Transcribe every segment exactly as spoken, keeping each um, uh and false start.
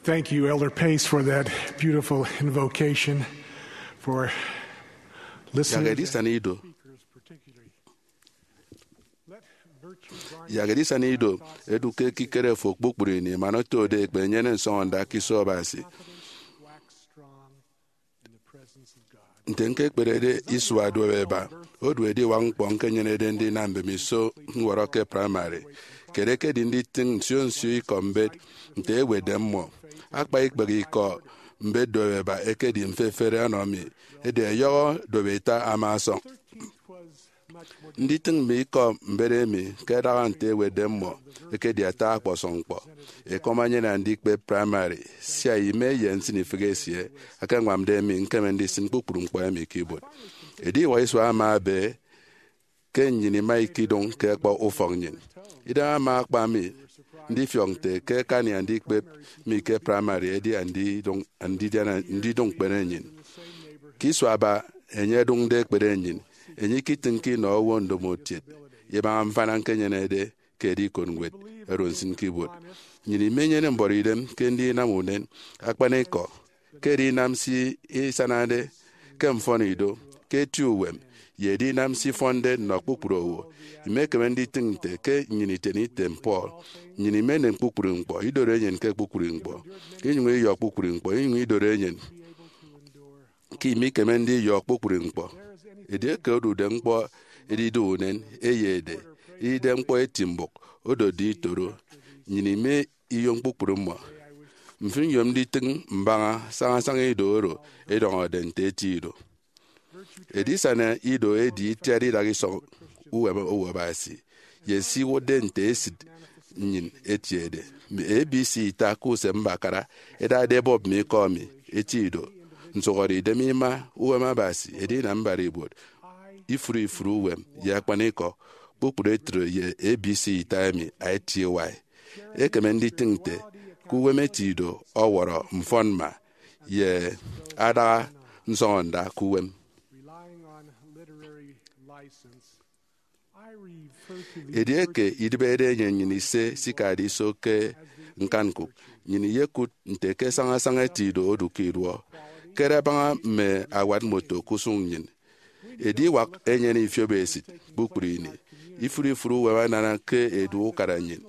Thank you, Elder Pace, for that beautiful invocation, for listening. Yak edisana ido. Yak edisana ido edu ke ekikere fo kpukpru ini, man otode ekpe enyene nsọñọnda ke iso Abasi. Nte ñkekperede isua duop eba, odu ediwak ñkpọ ñkenyenede ndinam mbemiso ñwọrọ ke praịmarị. Kiet ekedi nditịñ nsio nsio ikọ mbet nte ewetde mmọ. Akpa ikpehe ikọ mbet duop eba ekedi mfefere ọnọ mi, edi ẹyọhọ duop ita ama ọsọñ. Nditịñ mme ikọ mbet emi ke ẹdaha nte ewetde mmọ ekedi ata ọkpọsọñ ñkpọ. Ekọm enyene andikpep praịmarị, sia ime ye nsịnifịk esie ẹkeñwamde mi ñkeme ndisịn kpukpru ñkpọ emi ke ibuot. Ediwak isua ama ebe ke nnyịn ima ikidụñ ke ẹkpọ ufọk nnyịn. Idem ama akpa mi ndifiọk nte ke akani andikpep mi ke praịmarị edi andidụñ, andidiana, ndidụñ ñkpere nnyịn. Ke isua aba enye ẹdụñde ekpere nnyịn, enye ikitịñke inọ owo ndomokiet ibaña mfana ñkenyenede ke edikot ñwed oro nsịn ke ibuot. Nnyịn imenyene mbọrọidem ke ndinam unen akpanikọ, ke edinam se isanade ke mfọnido, ke eti uwem, ye edinam se ifọnde nnọ kpukpru owo. Imekeme nditịñ nte ke nnyịn itiene item Paul, nnyịn imenem kpukpru ñkpọ, idoro enyịn ke kpukpru ñkpọ, inyụñ iyọ kpukpru ñkpọ, inyụñ idoro enyịn ke imikeme ndiyọ kpukpru ñkpọ. Edieke odude ñkpọ edidu unen, eyede, idide ñkpọ eti mbụk, odotde itoro, nnyịn ime iyom kpukpru mmọ. Mfịn nyom nditịñ mbaña sañasaña ido oro edọñọde nte eti ido. Edisana ido edi itiat idak isọñ uwem owo Abasi, ye se iwụtde nte esịt nnyịn etiede. Mme A B C ita ke usem mbakara ẹdade ẹbọp mme ikọ mi, eti ido, nsụhọdeidem ima, uwem Abasi, edinam mbara ibuot, ifụre ifụre uwem, ye akpanikọ, kpukpru etre ye A B C ita emi aeti ewai. Ekeme nditịñ nte ke uwem eti ido ọwọrọ mfọnmma ye adaha nsọñọnda ke uwem. Relying on literary license, I refer to the Edieke idịbede enye nnyịn ise sikade iso ke ñkanñkụk, nnyịn iyekụt nte ke sañasaña eti ido odu ke iduọ. Kere abaña mme awat moto ke usụñ nnyịn. Ediwak enyene ifiop esịt kpukpru ini. Ifụre ifụre uwem anana ke edu ukara nnyịn.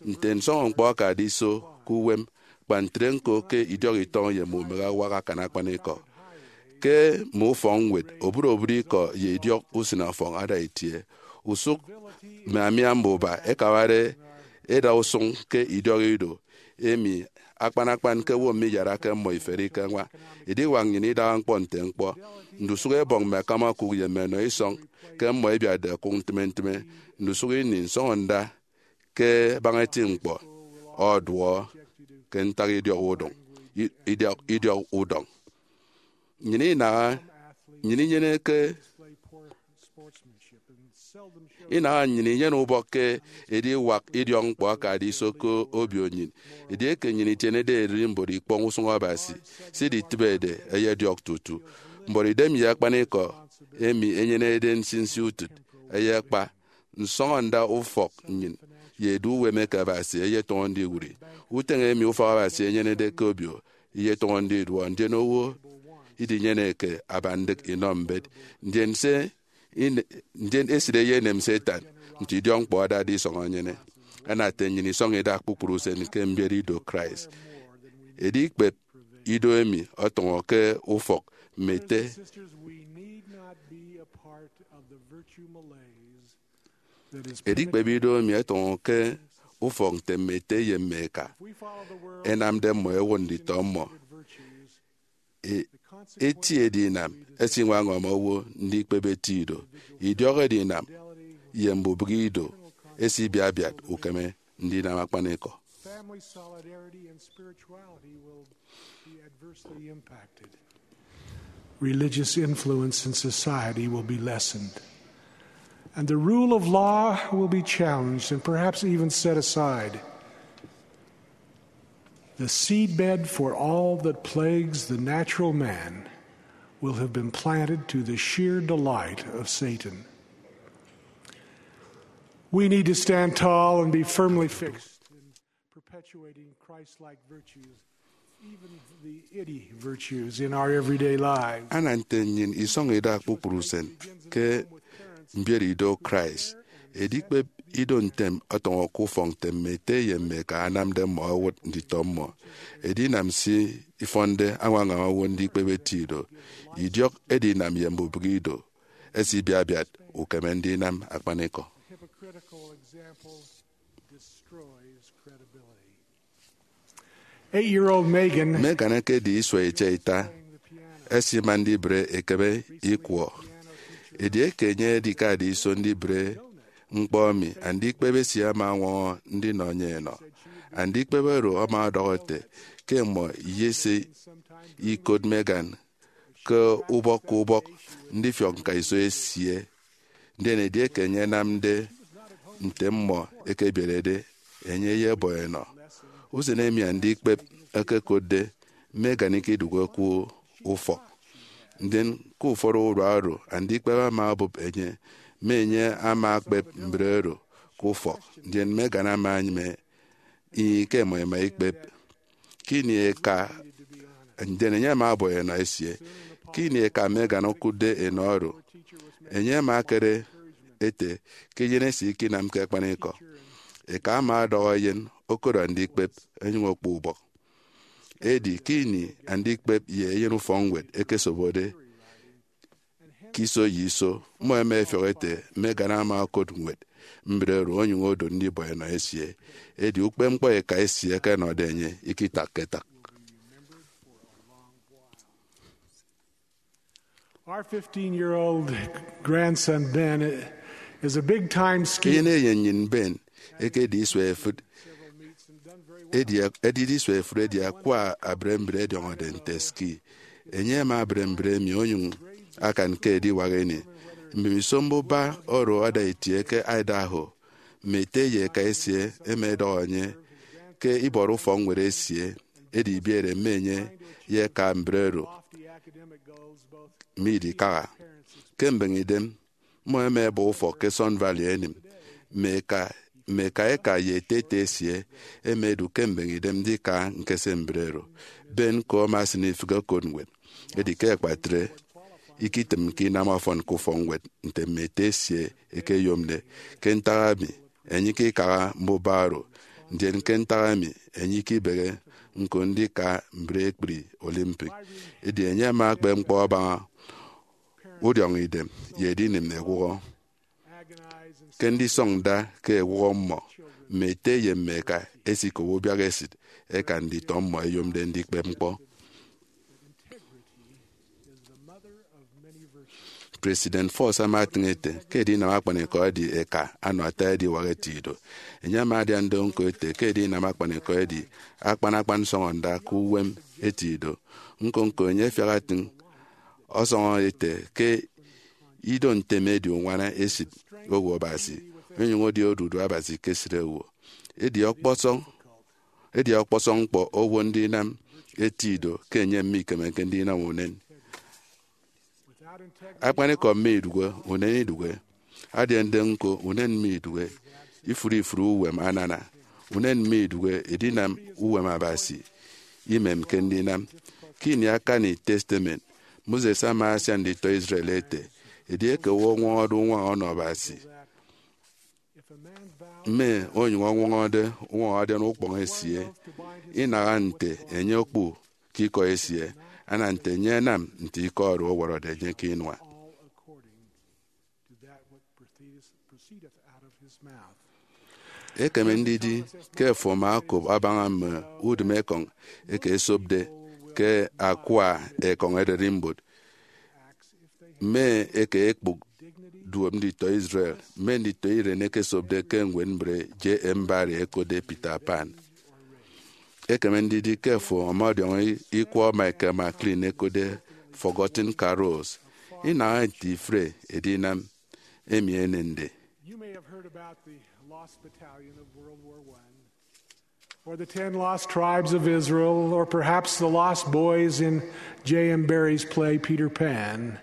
Nte nsọñọ ñkpọ akade iso ke uwem, kpa ntre ñko ke idiọk itọñ ye mme umehe awak akan akpanikọ. Ke mme ufọkñwed, obụt obụt ikọ ye idiọk usịneọfọñ ada itie. Usụk mme amia mbuba ẹkabade ẹda usụñ ke idiọk ido, emi akpan akpan ke owo miyarake mmọ iferi ke añwa. Ediwak nnyịn idaha ñkpọ nte ñkpọ. Ndusụk ebọñ mme akama okụk ye mme enọ isọñ ke mmọ ẹbiatde ẹkụk ntịme ntịme. Ndusụk ini nsọñọnda ke abaña eti ñkpọ ọduọ ke ntak idiọk udọñ, i-, idiọk, idiọk udọñ. Nnyịn inaha, nnyịn inyeneke, inaha nnyịn inyene ubọk ke ediwak idiọk ñkpọ akade iso ke obio nnyịn. Edieke nnyịn itienede ererimbot ikpọñ usụñ Abasi, se iditịbede ẹyediọk tutu. Mbọrọidem ye akpanikọ emi enyenede nsinsi utịt ẹyekpa. Nsọñọnda ufọk nnyịn ye edu uwem eke Abasi eyetọñọ ndiwụri. Utịñ emi ufọk Abasi enyenede ke obio iyetọñọ ndiduọ, ndien owo idinyeneke aba ndịk inọ mbet. Ndien se ine-, ndien esịt eyenem Satan nte idiọk ñkpọ adade isọñ enyene. Anate nnyịn isọñ idak kpukpru usen ke mbiet ido Christ. Edikpep ido emi ọtọñọ ke ufọk mme ete. Sisters, we need not be a part of the virtue malaise that is Edikpep ido emi ẹtọñọ ke ufọk nte mme ete ye mme eka. If we follow the world, ẹnamde mmọ ẹwụt nditọ mmọ. Virtues, e-, eti edinam ẹsiñwaña owo ndikpep eti ido, idiọk edinam, ye mbubịk ido ẹsibiatbiat ukeme ndinam akpanikọ. Family solidarity and spirituality will be adversely impacted. Religious influence in society will be lessened, and the rule of law will be challenged and perhaps even set aside. The seedbed for all that plagues the natural man will have been planted to the sheer delight of Satan. We need to stand tall and be firmly fixed in perpetuating Christ-like virtues Even the itty virtues in our everyday lives. Ana nte nnyịn isọñ ida kpukpru usen ke mbiere ido Christ. Edikpep ido ntem ọtọñọ ke ufọk nte mme ete ye mme eka anamde mmọ owụt nditọ mmọ. Edinam se ifọnde añwaña owo ndikpep eti ido, idiọk edinam ye mbubịghi ido. Esibiabiat ukeme ndinam akpanikọ. Hypocritical example destroys credibility. Eight-year-old Megan. Megan ekedi isua itiaita, esima ndibre ekebe ikwọ. Edieke enye edikade iso ndibre ñkpọ emi, andikpep esie ama ọñwọñọ ndinọ enye enọ. Andikpep oro ama ọdọhọ ete ke mmọ iyese ikot Megan ke ubọk ke ubọk ndifiọk ñkaiso esie. Ndien edieke enye anamde nte mmọ ẹkebierede, enye eyebọ enọ. Usen emi andikpep ẹkekotde Megan ikidụhe ke ufọk. Ndien ke ufọt urua oro, andikpep ama obụp enye, mme enye ama akpep mbre oro ke ufọk, ndien Megan ama enyịme inyịñ ke ẹmọ ẹma ikpep. Ke ini eka, ndien enye ama ọbọ enọ esie. Ke ini eka Megan okụtde enọ oro, enye ama akere ete ke eyen esie ikinamke akpanikọ. Eka ama ọdọhọ eyen okodu andikpep, ẹnyụñ okpọ ubọk. Edi ke ini andikpep ye eyen ufọkñwed ẹkesobode ke iso ye iso, mmọ ẹma ẹfiọk ẹte Megan ama okot ñwed mbre oro onyụñ odu ndibọ enọ esie. Edi ukpepñkpọ eka esie ẹkenọde enye ikitakke itak. Our fifteen-year-old grandson Ben is a big-time skier. Eyen eyen nnyịn Ben ekedi isua efịt edi, edide isua efịt edi akwa abre mbre ẹdiọñọde nte ski. Enye ama abre mbre emi onyụñ akan ke ediwak ini. Mbemiso mbuba oro ada itie ke Idaho, mme ete ye eka esie ẹma ẹdọhọ enye ke ibọrọ ufọkñwed esie, edi ibiere mme enye ye eka mbre oro midikaha. Ke mbeñe idem, mmọ ẹma ẹbọ ufọk ke Sun Valley ẹnịm. Mme eka, mme eka eka ye ete ete esie ẹma ẹdu ke mbeñe idem ndika ñkese mbre oro. Ben ko ama esịn ifịk okot ñwed. Edi ke akpatre, ikitịmke inam ọfọn ke ufọkñwed nte mme ete esie ẹkeyomde. Ke ntak emi, enye ikikaha mbuba oro, ndien ke ntak emi, enye ikibehe ñko ndika mbre ekpri Olympic. Edi enye ama akpep ñkpọ abaña udiọñ idem ye edinịm ewụhọ. Ke ndisọñ nda ke ewụhọ mmọ, mme ete ye mme eka ẹsikobo ubiak esịt eka nditọ mmọ ẹyomde ndikpep ñkpọ. President Faust ama etịñ ete ke edinam akpanikọ edi eka anọ ata ediwak eti ido. Enye ama adiande ñko ete ke edinam akpanikọ edi akpan akpan nsọñọnda ke uwem eti ido. Ñko-ñko enye afiak atịñ ọsọñọ ete ke ido ntem edi uñwana esịt owo Abasi, onyụñ edi odudu Abasi ke esịt owo. Edi ọkpọsọñ, edi ọkpọsọñ ñkpọ owo ndinam eti ido ke enye mikemeke ndinam unen. Akpanikọ mme idụhe, unen idụhe. Adiande ñko, unen mme idụhe. Ifụre ifụre uwem anana, unen mme idụhe edinam uwem Abasi. Imemke ndinam. Ke ini akani Testament, Moses ama asian nditọ Israel ete, edieke owo ọñwọñọde uñwaña ọnọ Abasi, mme onyụñ ọñwọñọde uñwaña adian ukpọñ esie, inaha nte enye okpu ke ikọ esie, ana nte enye anam nte ikọ oro ọwọrọde enye ke inua. Ekeme ndidi ke afo ama okop abaña mme udịmekọñ eke esopde ke akwa ekọñ ererimbot, mme eke ekpụk duop nditọ Israel, mme nditọ iren ẹkesopde ke ñwed mbre J. M. Barrie ẹkotde Peter Pan. Ekeme ndidi ke afo ọmọdiọñọ ikwọ Michael McLean ẹkotde Forgotten Carols. Inaha nte ifụre edinam emi enende. You may have heard about the Lost Battalion of World War One, or the Ten Lost Tribes of Israel, or perhaps the Lost Boys in J. M. Barrie's play Peter Pan.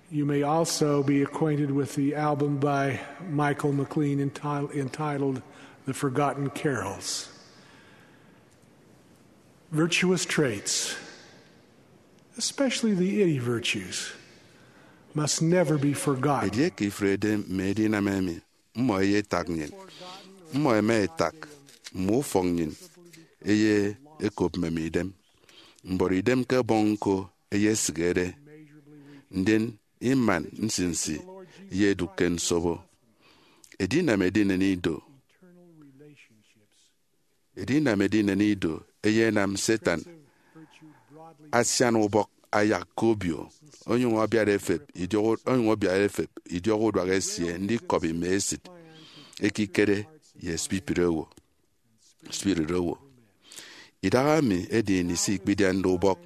You may also be acquainted with the album by Michael McLean enti-, entitled The Forgotten Carols. Virtuous traits, especially the itty virtues, must never be forgotten. Edieke ifrede mme edinam emi, mmọ eyetak nnyịn. Mmọ ẹma ẹtak mme ufọk nnyịn, ẹyekop mmem idem. Mbọrọ idem ke Ẹbọñ Ñko eyesikere, ndien iman nsinsi eyedụk ke nsobo. Edinam edinen ido. Edinam edinen ido eyenam Satan asian ubọk ayak ke obio, onyụñ ọbiat efep idiọk, onyụñ ọbiat efep idiọk uduak esie ndikọbi mme esịt ekikere ye spirit owo. Spirit owo. Idahaemi edi ini se ikpidiande ubọk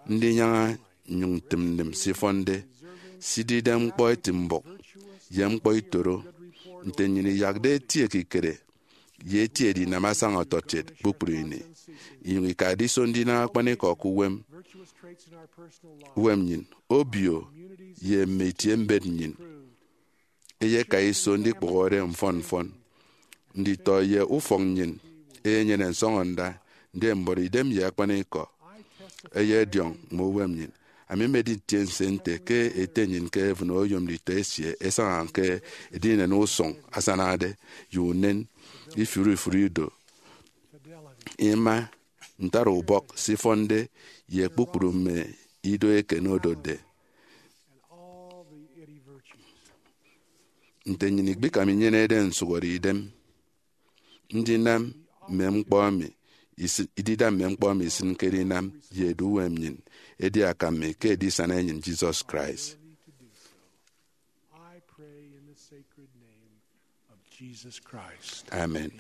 ndinyaña nnyụñ ntịm nnịm se ifọnde, se idide ñkpọ eti mbụk ye ñkpọ itoro, nte nnyịn iyakde eti ekikere ye eti edinam asaña ọtọkiet kpukpru ini, inyụñ ikade iso ndinam akpanikọ ke uwem, uwem nnyịn, obio, ye mme itiembet nnyịn. Eyeka iso ndikpụhọre mfọn mfọn. Nditọ ye ufọk nnyịn eyenyene nsọñọnda, ndien mbọrọ idem ye akpanikọ eyediọñ mme uwem nnyịn. Ami mmedi ntiense nte ke Ete nnyịn ke heaven oyom nditọ esie ẹsaña ke edinen usụñ asanade ye unen ifụri ifụri ido, ima, ntara ubọk se ifọnde, ye kpukpru mme ido eken odotde. Nte nnyịn ikpikam inyenede nsụhọde idem ndinam mme ñkpọ emi isi- idida mme ñkpọ emi isịnke edinam ye edu uwem nnyịn, edi akam mi ke Edisana enyịn Jesus Christ. I pray in the sacred name of Jesus Christ. Amen.